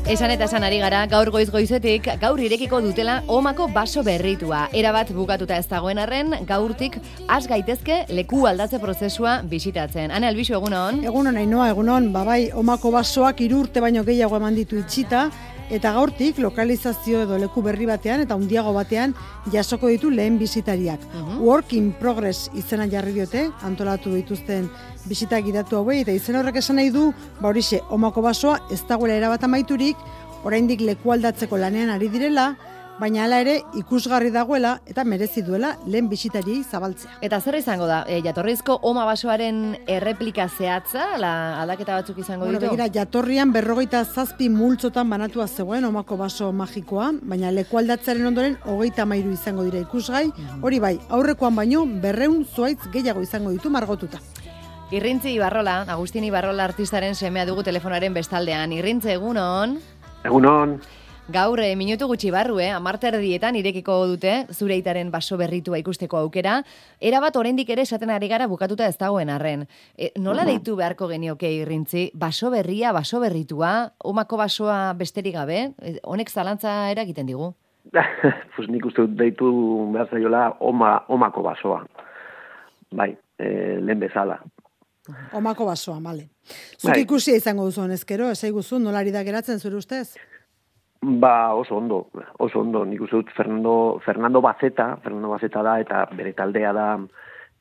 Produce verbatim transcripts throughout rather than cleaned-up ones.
Esan eta esan ari gara, gaur goiz goizetik, gaur irekiko dutela Omako baso berritua. Erabat bukatuta ez dagoen arren, gaurtik has gaitezke leku aldatze prozesua bisitatzen. Ane Albixu, egunon? Egunon, Ainoa, egunon. Babai, Omako basoak hiru urte baino gehiago eman ditu itxita, eta gaurtik lokalizazio edo leku berri batean eta handiago batean jasoko ditu lehen bisitariak. Uh-huh. Work in progress izena jarri diote, antolatu dituzten bisitak gidatu hauei, eta izen horrek esan nahi du, ba horixe, Omako basoa ez dagoela erabat amaiturik, oraindik leku aldatzeko lanean ari direla, baina hala ere ikusgarri dagoela eta merezi duela lehen bisitari zabaltzea. Eta zer izango da, e, jatorrizko Oma basoaren erreplika zehatza, la aldaketa batzuk izango bueno, ditu? Begira, jatorrian berrogeita zazpi multzotan banatua zegoen Omako baso magikoa, baina leku aldatzearen ondoren hogeita hamairu izango dira ikusgai, mm. hori bai, aurrekoan baino berrehun zuhaitz gehiago izango ditu margotuta. Irrintzi Ibarrola, Agustin Ibarrola artistaren semea dugu telefonaren bestaldean. Irrintze, egunon? Egunon. Gaur, e, minutu gutxi barru, eh? amarterdietan irekiko dute zure aitaren baso berritua ikusteko aukera. Erabat oraindik ere esaten ari gara bukatuta ez dagoen arren. E, nola uh-huh. deitu beharko genioke Irrintzi? Baso berria, baso berritua, Omako basoa besterik gabe? E, honek zalantza eragiten digu? Pues nik uste dut deitu behar zaiola Oma, Omako basoa. Bai, e, lehen bezala. Omako basoa, male. Zuk bai. Ikusia izango duzu honezkero, esaiguzu nolari da geratzen zure ustez? Ba, oso ondo, oso ondo. Nik uste dut Fernando, Fernando Bazeta, Fernando Bazeta da, eta bere taldea da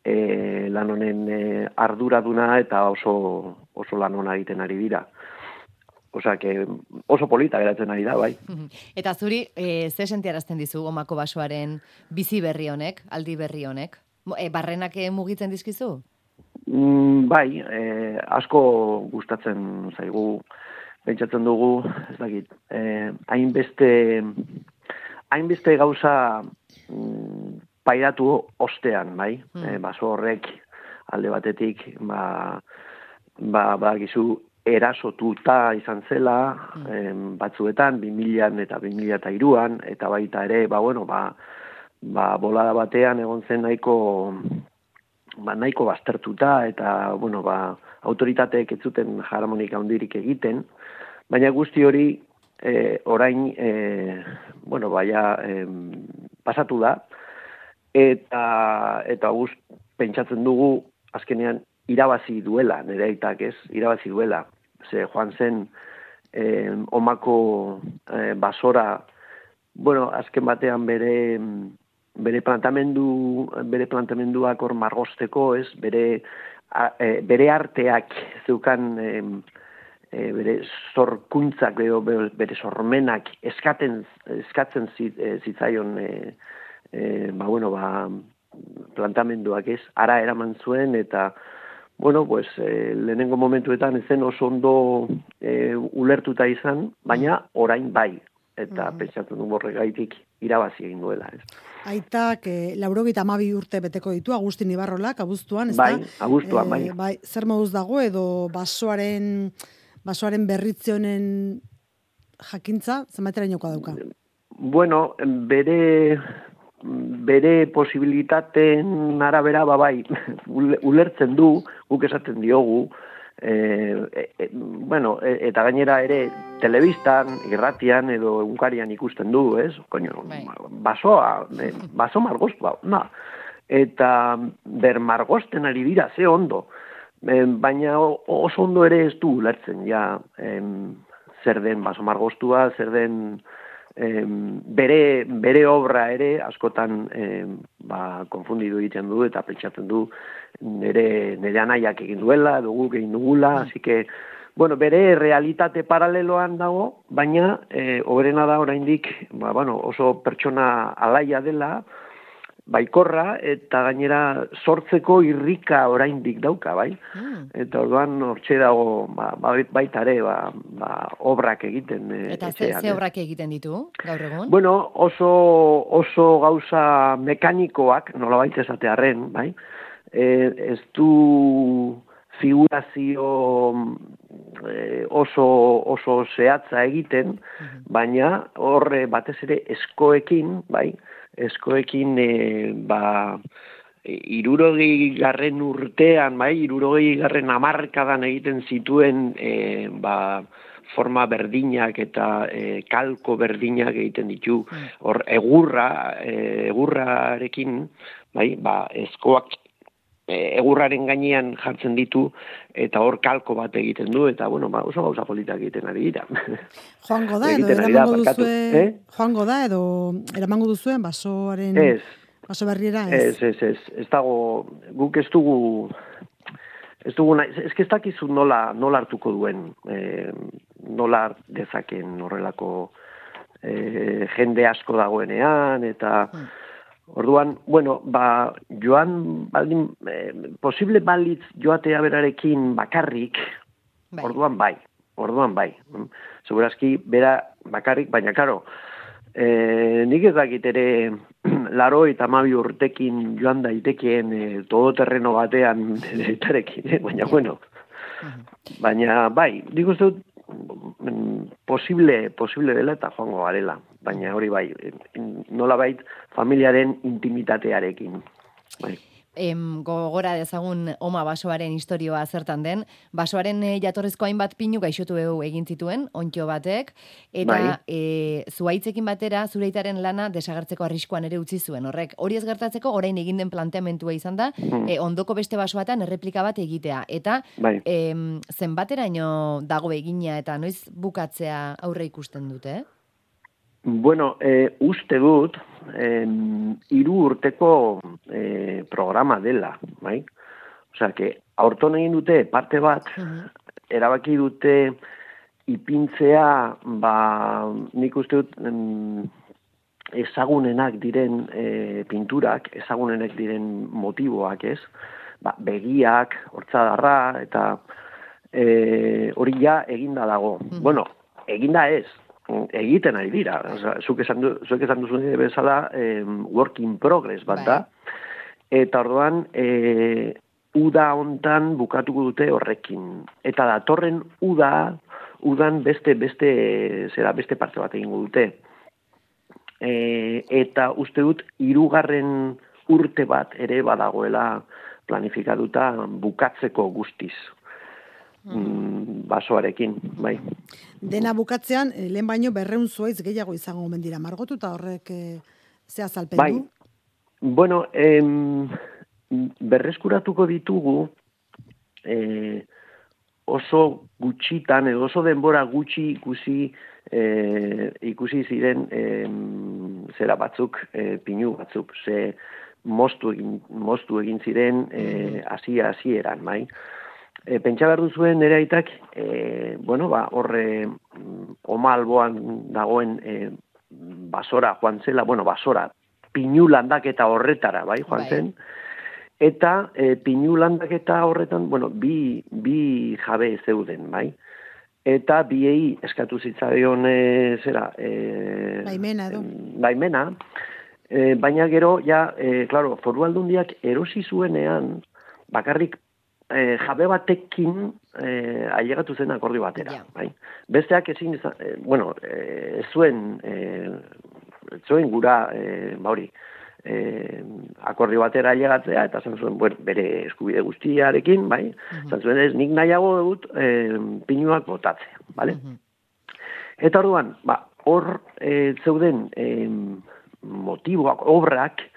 e, lan honen e, arduraduna, eta oso, oso lan hona egiten ari dira. Osea, que oso polita geratzen ari da, bai. Eta zuri, e, ze sentiarazten dizu Omako basoaren bizi berri honek, aldi berri honek? E, barrenak mugitzen dizkizu? Mm, bai, e, asko gustatzen zaigu, pentsatzen dugu, ez dakit, eh, hainbeste, hainbeste gauza mm, pairatu ostean, bai? Mm. Eh, baso horrek alde batetik, ba, ba, ba gizu erasotuta izan zela, mm. eh, batzuetan, bi milaan eta bi mila eta hiruan, eta baita ere, ba, bueno, ba, ba, bolada batean egon zen nahiko, ba, nahiko baztertuta, eta, bueno, ba, autoritateek ez zuten harmonika handirik egiten, baina guzti hori e, orain, e, bueno, baia e, pasatu da, eta, eta gust pentsatzen dugu, azkenean, irabazi duela, nire aitak ez, irabazi duela. Ze joan zen e, Omako e, basora, bueno, azken batean bere, bere plantamendu, bere plantamenduak hor margosteko, ez, bere, a, e, bere arteak zeukan, e, E, bere zorkuntzak edo bere sormenak eskaten, eskatzen zitzaion e, e, ba, bueno, ba, plantamenduak ez, ara eraman zuen, eta bueno, pues, e, lehenengo momentuetan ezen oso ondo e, ulertuta izan, baina orain bai, eta mm-hmm. pentsatzen du horregaitik irabazi egin duela. Ez. Aitak, e, laurogeita hamabi urte beteko ditu, Agustin Ibarrolak, abuztuan, ez bai, da? abuztuan, bai. E, bai. Zer moduz dago edo basoaren... basoaren berritzionen jakintza, zenbaterainokoa dauka? Bueno, bere, bere posibilitateen arabera, ba bai, ulertzen du, guk esaten diogu, e, e, bueno, e, eta gainera ere telebistan, irratian edo egunkarian ikusten du, ez? Koño, basoa, baso margostua, na. Eta ber margosten ari dira, ze ondo. Baina oso ondo ere ez du ulertzen, ja, em, zer den baso margostua, zer den em, bere, bere obra ere askotan em, ba, konfundidu egiten du eta pentsatzen du nire, nire anaiak egin duela, dugu egin dugula, así que, bueno, bere realitate paraleloan dago, baina e, oberena da oraindik, ba, bueno, oso pertsona alaia dela, baikorra, eta gainera sortzeko irrika oraindik dauka, bai? Mm. Eta orduan hortxe dago, ba, baita ere, ba, ba, obrak egiten. E, eta ze, ze obrak egiten ditu, gaur egun? Bueno, oso, oso gauza mekanikoak, nolabait esatearren, bai? E, ez du figurazio e, oso, oso zehatza egiten, mm-hmm. baina horre batez ere eskoekin, bai? Eskoekin, e, ba, irurogei garren urtean, bai, irurogei garren hamarkadan egiten zituen, e, ba, forma berdinak eta e, kalko berdinak egiten ditu. Hor egurra, e, egurrarekin, bai, ba, eskoak egurraren gainean jartzen ditu eta hor kalko bat egiten du eta bueno, ba, oso gauza politak egiten ari dira. Joango da edo eramango duzue, eh? Joango da edo eramango duzuen basoaren ez, baso berriera ez. Ez, ez, ez, ez dago, guk ez dugu ez dugu, ez ez dakizu nola, nola hartuko duen, eh, nola dezaken horrelako eh, jende asko dagoenean eta hmm. Orduan, bueno, ba, joan, baldin, eh, posible balitz joatea berarekin bakarrik, bai. orduan bai, orduan bai. Segurazki, bera bakarrik, baina, karo, eh, nik ez dakit ere laro eta mabi urtekin joan daitekeen eh, todoterreno batean etarekin, eh? baina, bueno, baina, bai, nik uste dut, posible, posible dela eta joango garela, baina hori bai, nola bait familiaren intimitatearekin. Bai. Em, gogora dezagun oma basoaren historioa zertan den, basoaren e, jatorrezko hainbat pinu gaixotu egin zituen, ontxo batek, eta bai. e, zuaitzekin batera zureitaren lana desagertzeko arriskuan ere utzi zuen. Horrek, hori ez gertatzeko orain egin den planteamentua izan da, mm. e, ondoko beste basoatan erreplika bat egitea. Eta bai. em, zenbateraino dago egina eta noiz bukatzea aurre ikusten dute, eh? Bueno, eh, uste dut, eh, hiru urteko eh, programa dela, bai? Osea, que aurton egin dute parte bat, uh-huh. erabaki dute ipintzea, ba, nik uste dut, em, ezagunenak diren eh, pinturak, ezagunenak diren motiboak, ez? Ba, begiak, hortzadarra, eta eh, hori ja eginda dago. Uh-huh. Bueno, eginda ez. Egiten ari dira, osea, zuk esan du, zuek esan duzu bezala eh, work in progress bat da, eta orduan eh, uda hontan bukatuko dute horrekin, eta datorren uda, udan beste beste zera beste parte bat egingo dute, e, eta uste dut hirugarren urte bat ere badagoela planifikatuta bukatzeko guztiz. Mm, basoarekin, bai. Dena bukatzean, lehen baino berreun zuaitz gehiago izango omen dira, margotu eta horrek e, ze azalpen bai. du? Bueno, em, berreskuratuko ditugu e, oso gutxitan, edo oso denbora gutxi ikusi e, ikusi ziren e, zera batzuk, e, pinu batzuk, ze moztu egin, moztu egin ziren e, hasia hasieran, bai. E, pentsa behar duzuen nire aitak, e, bueno, ba, horre oma alboan dagoen e, basora joan zela, bueno, basora, pinu landaketa horretara, bai, joan bai. zen, eta e, pinu landaketa horretan, bueno, bi, bi jabe zeuden, bai, eta biei eskatu zitzaion e, zera, e, baimena, edo. baimena, e, baina gero, ja, e, claro, Foru Aldundiak erosi zuenean, bakarrik E, jabe batekin e, ailegatu zen akordio batera. Yeah. Bai? Besteak ezin, e, bueno, e, zuen, e, zuen gura, e, bauri, e, akordio batera ailegatzea, eta zan zuen bere eskubide guztiarekin, bai? Uh-huh. Zan zuen ez, nik nahiago dut e, pinuak botatzea, bale? Uh-huh. Eta orduan, ba, hor e, zeuden e, motiboak, obrak,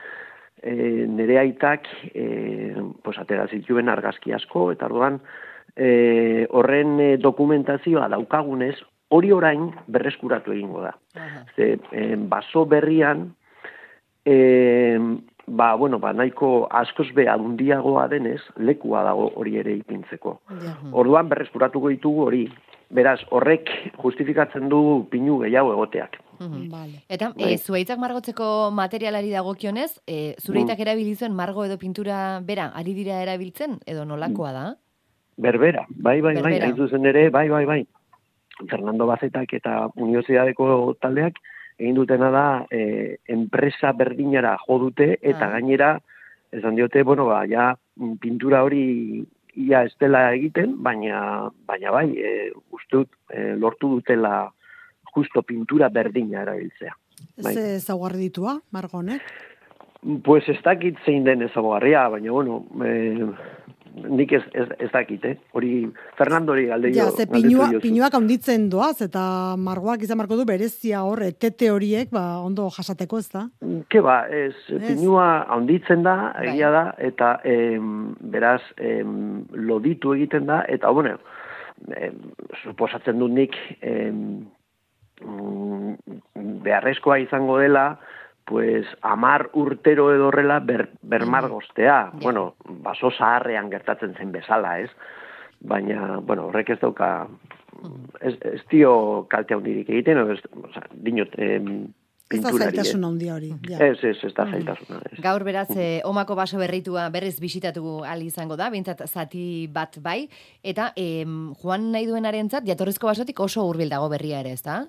E, nire aitak e, pues, atera zituen argazki asko, eta orduan e, horren e, dokumentazioa daukagunez, hori orain berreskuratu egingo da. Uh-huh. Ze, e, baso berrian, e, ba, bueno, ba, nahiko askoz be adundiagoa denez, lekua dago hori ere ipintzeko. Uh-huh. Orduan berreskuratuko ditugu hori. Beraz, horrek justifikatzen du pinu gehiago egoteak. Mm-hmm. Vale. Eta e, zuaitzak margotzeko materialari dagokionez, e, zureitak mm. erabilizuen margo edo pintura bera, ari dira erabiltzen, edo nolakoa da? Berbera, bai, bai, Berbera. bai, hain zuzen ere, bai, bai, bai. Fernando Bazetak eta Universidadeko taldeak egin dutena da e, enpresa berdinara jo dute, eta ah. gainera, esan diote, bueno, ba, ja, pintura hori ia ez dela egiten, baina, baina bai, e, ustut, e, lortu dutela justo pintura berdina erabiltzea. Bai. Ze ezaugarri ditua, Margonek? Pues ez dakit zein den ezaugarria, baina, bueno, e, nik ez, ez, ez dakit, eh? Hori Fernandori galdeio. Ja, ze pinua, pinuak handitzen doaz, eta margoak izan marko du berezia hor, etete horiek, ba, ondo jasateko, ez da? Ke ba, ez, pinua handitzen da, egia da, eta em, beraz, em, loditu egiten da, eta, bueno, em, suposatzen dut nik, em, beharrezkoa izango dela, pues amar urtero edo horrela ber, bermargostea. Mm. Bueno, baso zaharrean gertatzen zen bezala, ez? Baina, bueno, horrek ez dauka, ez, ez dio kalte handirik egiten, ez, o sea, dinot, em, ez da zailtasun handia hori. Ja. Ez, ez, ez da zaitasuna. Ez. Gaur beraz, eh, omako baso berritua berriz bisitatu ahal izango da, bintzat zati bat bai, eta eh, joan nahi duenarentzat jatorrizko basotik oso hurbil dago berria ere, ez da?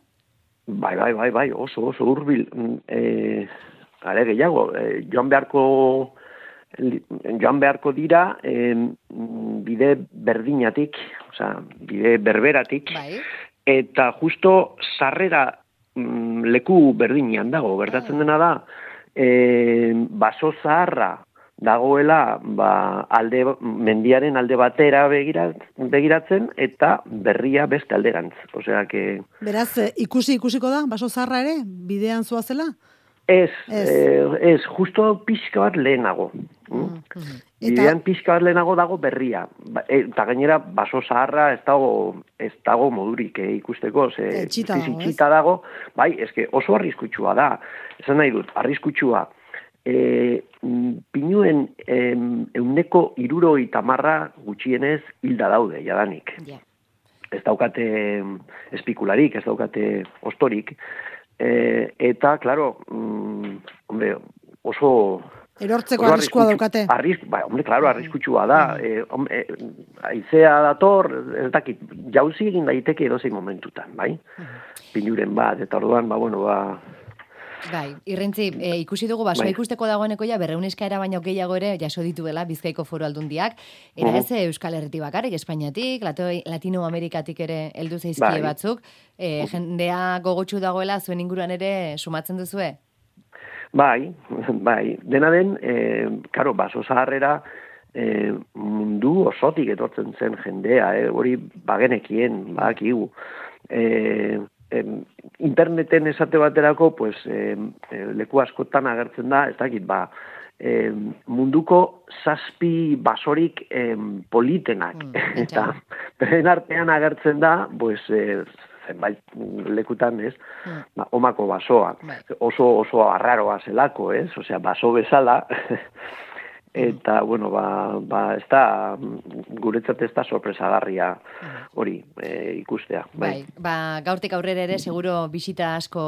Bai, bai, bai, bai, oso, oso hurbil. E, are gehiago, e, joan beharko joan beharko dira e, bide berdinatik, osea, bide berberatik, bai. Eta justo sarrera mm, leku berdinean dago, gertatzen dena da, e, baso zaharra dagoela ba, alde, mendiaren alde batera begirat, begiratzen eta berria beste alderantz. Osea, que... Beraz, ikusi ikusiko da, baso zaharra ere, bidean zoazela? Ez, ez, eh, ez justo pixka bat lehenago. Mm. Mm-hmm. Bidean pixka bat lehenago dago berria. Eta gainera, baso zaharra ez dago, ez dago modurik eh, ikusteko. Ze, etxita dago, ez? dago, bai, eske oso arriskutsua da. Esan nahi dut, arriskutsua. E, pinuen em, euneko iruroi tamarra gutxienez hilda daude, jadanik. Yeah. Ez daukate espikularik, ez daukate ostorik. E, eta, klaro, mm, hombre, oso... Erortzeko oso arriskua daukate. Arrisk, ba, hombre, klaro, arriskutsua da. E, hombre, aizea dator, ez dakit, jauzi egin daiteke edozein momentutan, bai? Pinuren bat, eta orduan, ba, bueno, ba... Bai, irrentzi, e, ikusi dugu basoa bai. Ikusteko dagoeneko ja berreun eskaera baino gehiago ere jaso dituela Bizkaiko Foru Aldundiak, era ez Euskal Herritik bakarrik, Espainiatik, Latinoamerikatik ere heldu zaizkie bai. Batzuk, e, jendea gogotsu dagoela zuen inguruan ere sumatzen duzue? Bai, bai, dena den, e, karo, baso zaharrera e, mundu osotik etortzen zen jendea, e, hori bagenekien, bakigu, e, Em, interneten esate baterako, pues, em, leku askotan agertzen da, ez dakit, ba, em, munduko zazpi basorik em, politenak. Mm, eta beren artean agertzen da, pues, eh, zenbait lekutan, ez, mm. ba, omako basoa. Oso, oso arraroa zelako, ez, osea, baso bezala, eta, bueno, ba, ba ez da, guretzat ez da sorpresagarria hori e, ikustea. Bai. bai, ba, gaurtik aurrera ere, seguro bisita asko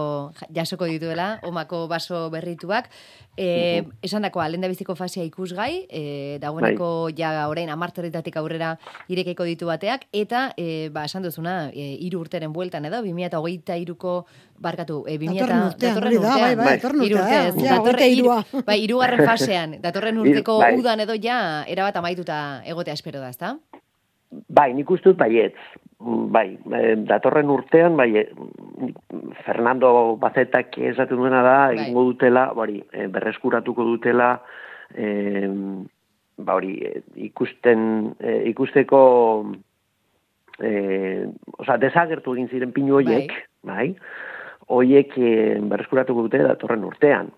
jasoko dituela, omako baso berrituak. E, uh-huh. Esan dakoa, lehen da biziko fasea ikusgai, e, dagoeneko bai. Ja orain amarterritatik aurrera irekeko ditu bateak, eta, e, ba, esan duzuna, e, iru urteren bueltan edo, bi mila hogeita iruko barkatu, e, bi mila datorren urtean, bai, bai, datorren urtean, ja, datorren irua. Bai, irugarren fasean, datorren urteko bai. Udan edo ja, erabat amaituta egotea espero da, ezta? Bai, nik uste dut baietz. Bai, datorren urtean, bai, Fernando Bazetak esaten duena da, bai. Egingo dutela, bari, berreskuratuko dutela, e, ba hori, ikusten, ikusteko, e, oza, desagertu egin ziren pinu hoiek, bai, hoiek berreskuratuko dute datorren urtean.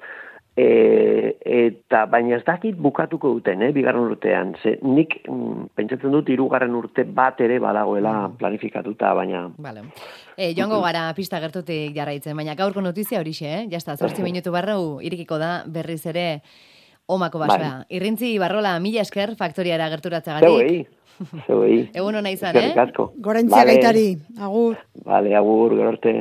E, eta baina ez dakit bukatuko duten, eh, bigarren urtean. Ze, nik mm, pentsatzen dut hirugarren urte bat ere badagoela planifikatuta, baina... Vale. E, joango gara pista gertutik jarraitzen, baina gaurko notizia horixe, eh? Jazta, zortzi minutu barru irikiko da berriz ere omako basoa. Bai. Irrintzi Barrola, mila esker faktoriara gerturatzagatik. Zeuei, zeuei. Egun hona izan, eh? Gorentzia vale. Gaitari, agur. Vale, agur, gero arte.